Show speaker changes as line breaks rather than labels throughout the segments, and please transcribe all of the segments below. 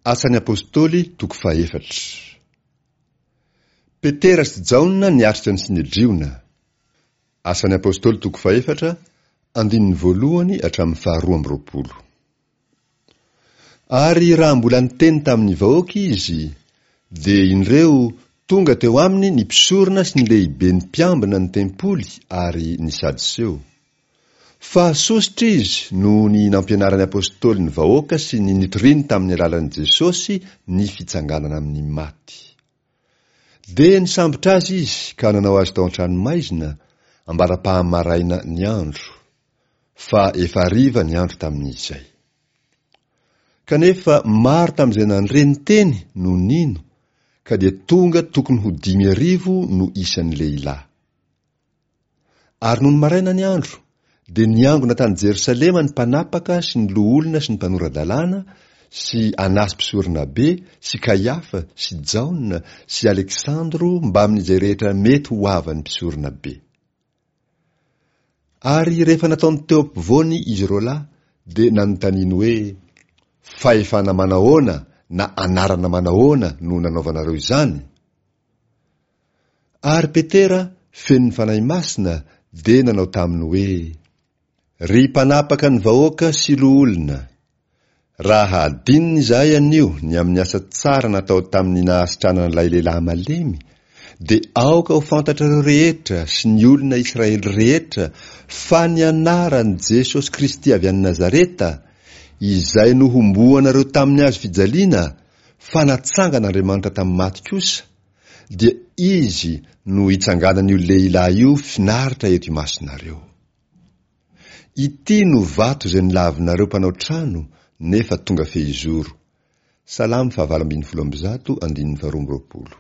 Asan'ny Apostoly toko fahefatra. Petera sy Jaona niatrika ny Synedriona. Asan'ny Apostoly toko fahefatra, andininy voalohany hatramin'ny faharoa amby roapolo. Ary raha mbola niteny tamin'ny vahoaka izy, dia indreo tonga teo aminy ny mpisorona sy ny lehiben'ny mpiambina ny tempoly ary ny Sadoseo. Fa sosotra izy noho ny nampianaran'ny Apostoly ny vahoaka sy ny nitoriany tamin'ny alalan'i Jesosy ny fitsanganana amin'ny maty. Dia nisambotra azy izy ka nanao azy tao an-tranomaizina ambara-pahamaraina ny andro, fa efa hariva ny andro tamin'izay. Kanefa maro tamin'izay nandre ny teny no nino, ka dia tonga tokony ho 5000 no isan'ny lehilahy. Ary nony maraina ny andro, dia niangona tany Jerosalema ny mpanapaka sy ny loholona sy ny mpanora-dalàna sy Anasy mpisoronabe sy Kaiafa sy Jaona sy Aleksandro mbamin'izay rehetra mety ho havan'ny mpisoronabe. Ary rehefa nataony teo ampovoany izy roalahy, dia nanontaniany hoe, Fahefana manahoana na anarana manahoana no nanaovanareo izany? Ary Petera, feno ny Fanahy Masina, dia nanao taminy hoe, Ry mpanapaka ny vahoaka sy loholona, raha hadinina izahay anio ny amin'ny asa tsara natao tamin'ny nahasitranana ilay lehilahy malemy, dia aoka ho fantatrareo rehetra sy ny olona Israely rehetra fa ny anaran'i Jesosy Kristy avy any Nazareta, izay nohomboanareo tamin'ny hazo fijaliana, fa natsangan'Andriamanitra tamin'ny maty kosa, dia izy no hitsanganan'io lehilahy io finaritra eto imasonareo. Ity no vato izay nolavinareo mpanao trano nefa tonga fehizoro. Salamo faha-118 andininy faha-22.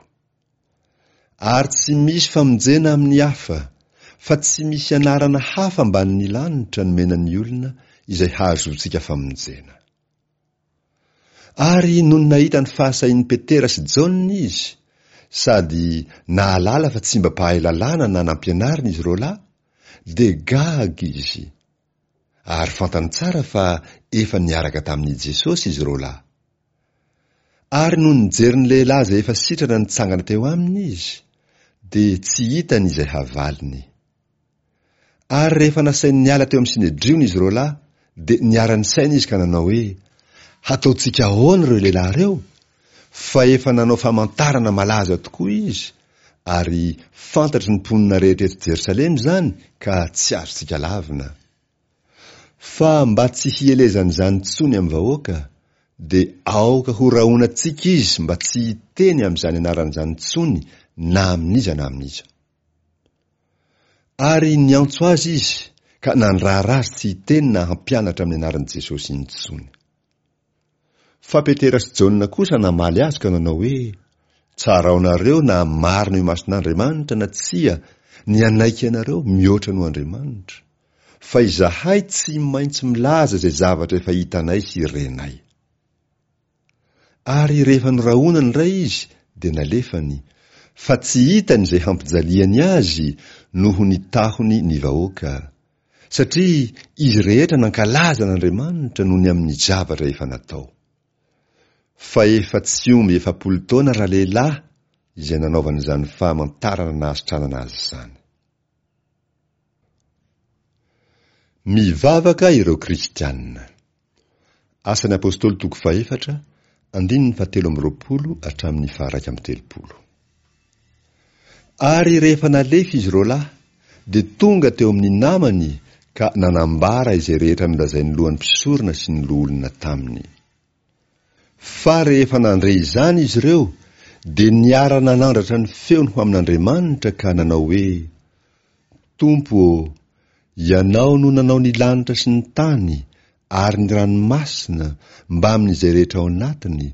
Ary tsy misy famonjena amin'ny hafa, fa tsy misy anarana hafa ambanin'ny lanitra nomena ny olona izay hahazoantsika famonjena. Ary nony nahita ny fahasahian'i Petera sy Jaona izy, sady nahalala fa tsy mba mpahay lalàna na nampianarina izy roalahy, dia gaga izy, ary fantany tsara fa efa niaraka tamin'i Jesosy izy roalahy. Ary nony nijery ny lehilahy izay efa sitrana nitsangana teo aminy izy, dia tsy hitany izay havaliny. Ary rehefa nasainy niala teo amin'ny Synedriona izy roalahy, dia niara-nisaina izy ka nanao hoe, Hataontsika ahoana ireo lehilahy ireo? Fa efa nanao famantarana malaza tokoa izy, ary fantatry ny mponina rehetra eto Jerosalema izany, ka tsy azontsika lavina. Fa mba tsy hielezan'izany intsony amin'ny vahoaka, dia aoka horahonantsika izy mba tsy hiteny amin'izany anarana izany intsony na amin'iza na amin'iza. Ary niantso azy izy ka nandrara azy tsy hiteny na hampianatra amin'ny anaran'i Jesosy intsony. Fa Petera sy Jaona kosa namaly azy ka nanao hoe, Tsaraonareo na marina eo imason'Andriamanitra na tsia ny hanaiky anareo mihoatra noho Andriamanitra, fa izahay tsy maintsy milaza izay zavatra efa hitanay sy renay. Ary rehefa norahonany indray izy, dia nalefany, fa tsy hitany izay hampijaliany azy noho ny tahony ny vahoaka, satria izy rehetra nankalaza an'Andriamanitra noho ny amin'ny zavatra efa natao. Fa efa tsy omby 40 taona ralehilahy izay nanaovana izany famantarana nahasitranana azy izany. Mivavaka ireo Kristiana. Asan'ny Apostoly toko fahefatra, andininy fahatelo amby roapolo hatramin'ny faha-31. Ary rehefa nalefa izy roalahy, dia tonga teo amin'ny namany ka nanambara izay rehetra nolazain'ny lohan'ny mpisorona sy ny loholona taminy. Fa rehefa nandre izany izy ireo, dia niara-nanandratra ny feony ho amin'Andriamanitra ka nanao hoe, Tompo ô, Ianao no nanao ny lanitra sy ny tany ary ny ranomasina mbamin'izay rehetra ao anatiny,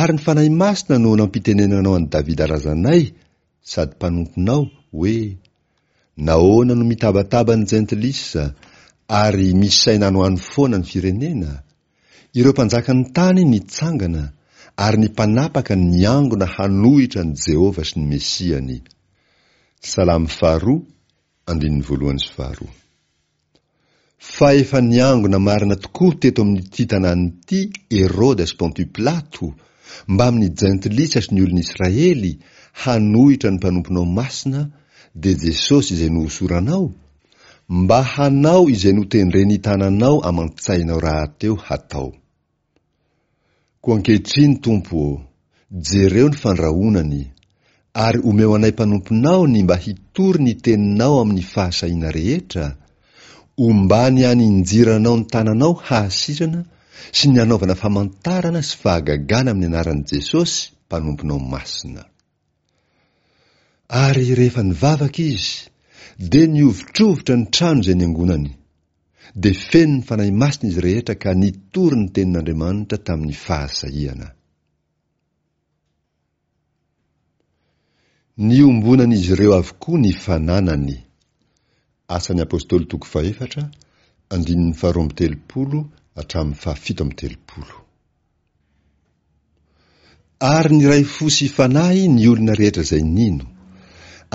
ary ny Fanahy Masina no nampitenenanao an'i Davida razanay sady mpanomponao, hoe, Nahoana no mitabataba ny jentilisa ary misaina any ho any foana ny firenena? Ireo mpanjakan'ny tany nitsangana ary ny mpanapaka niangona hanohitra an'i Jehovah sy ny Mesiany. Salamo faharoa, andininy voalohany sy faharoa. Fa efa niangona marina tokoa teto amin'ity tanàna ity Heroda sy Pontio Pilato, mbamin'ny jentilisa sy ny olon'Israely, hanohitra ny mpanomponao masina, dia Jesosy izay nohosoranao, mba hanao izay notendren'ny tananao aman-tsainao rahateo hatao. Koa ankehitriny, Tompo ô, jereo ny fandrahonany, ary omeo anay mpanomponao ny mba hitory ny teninao amin'ny fahasahiana rehetra, ombany haninjiranao ny tananao hahasitrana sy ny hanaovana famantarana sy fahagagana amin'ny anaran'i Jesosy mpanomponao masina. Ary rehefa nivavaka izy, dia nihovitrovitra ny trano izay niangonany. Dia feno ny Fanahy Masina izy rehetra ka nitory ny tenin'Andriamanitra tamin'ny fahasahiana. Niombonan'izy ireo avokoa ny fananany. Asan'ny Apostoly toko fahefatra, andininy faharoa amby telopolo hatramin'ny fahafito amby telopolo. Ary niray fo sy fanahy ny olona rehetra izay nino,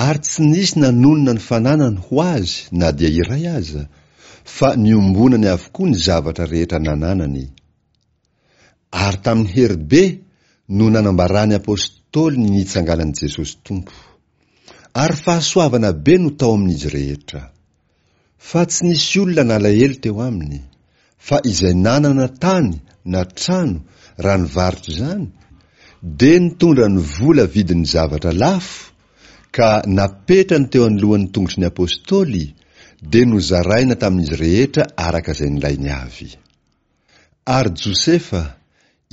ary tsy nisy nanonona ny fananany ho azy na dia iray aza, fa niombonany avokoa ny zavatra rehetra nananany. Ary tamin'ny hery be no nanambaran'ny apostoly ny nitsanganan'i Jesosy Tompo. Ary fahasoavana be no tao amin'izy rehetra. Fa tsy nisy olona nalahelo teo aminy, fa izay nanana tany na trano raha nivarotra izany, dia nitondra ny vola vidin'ny zavatra lafo ka napetrany teo anoloan'ny tongotry ny apostoly, dia nozaraina tamin'izy rehetra araka izay nilainy avy. Ary Josefa,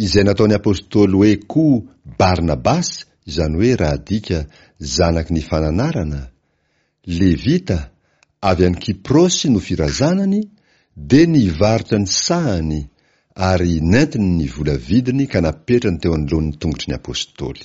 izay nataon'ny apostoly hoe koa Barnabasy, izany hoe raha adika, zanaky ny fananarana, Levita, avy any Kyprosy no firazanany, dia nivarotra ny sahany ary nentiny ny vola vidiny ka napetrany teo anoloan'ny tongotry ny apostoly.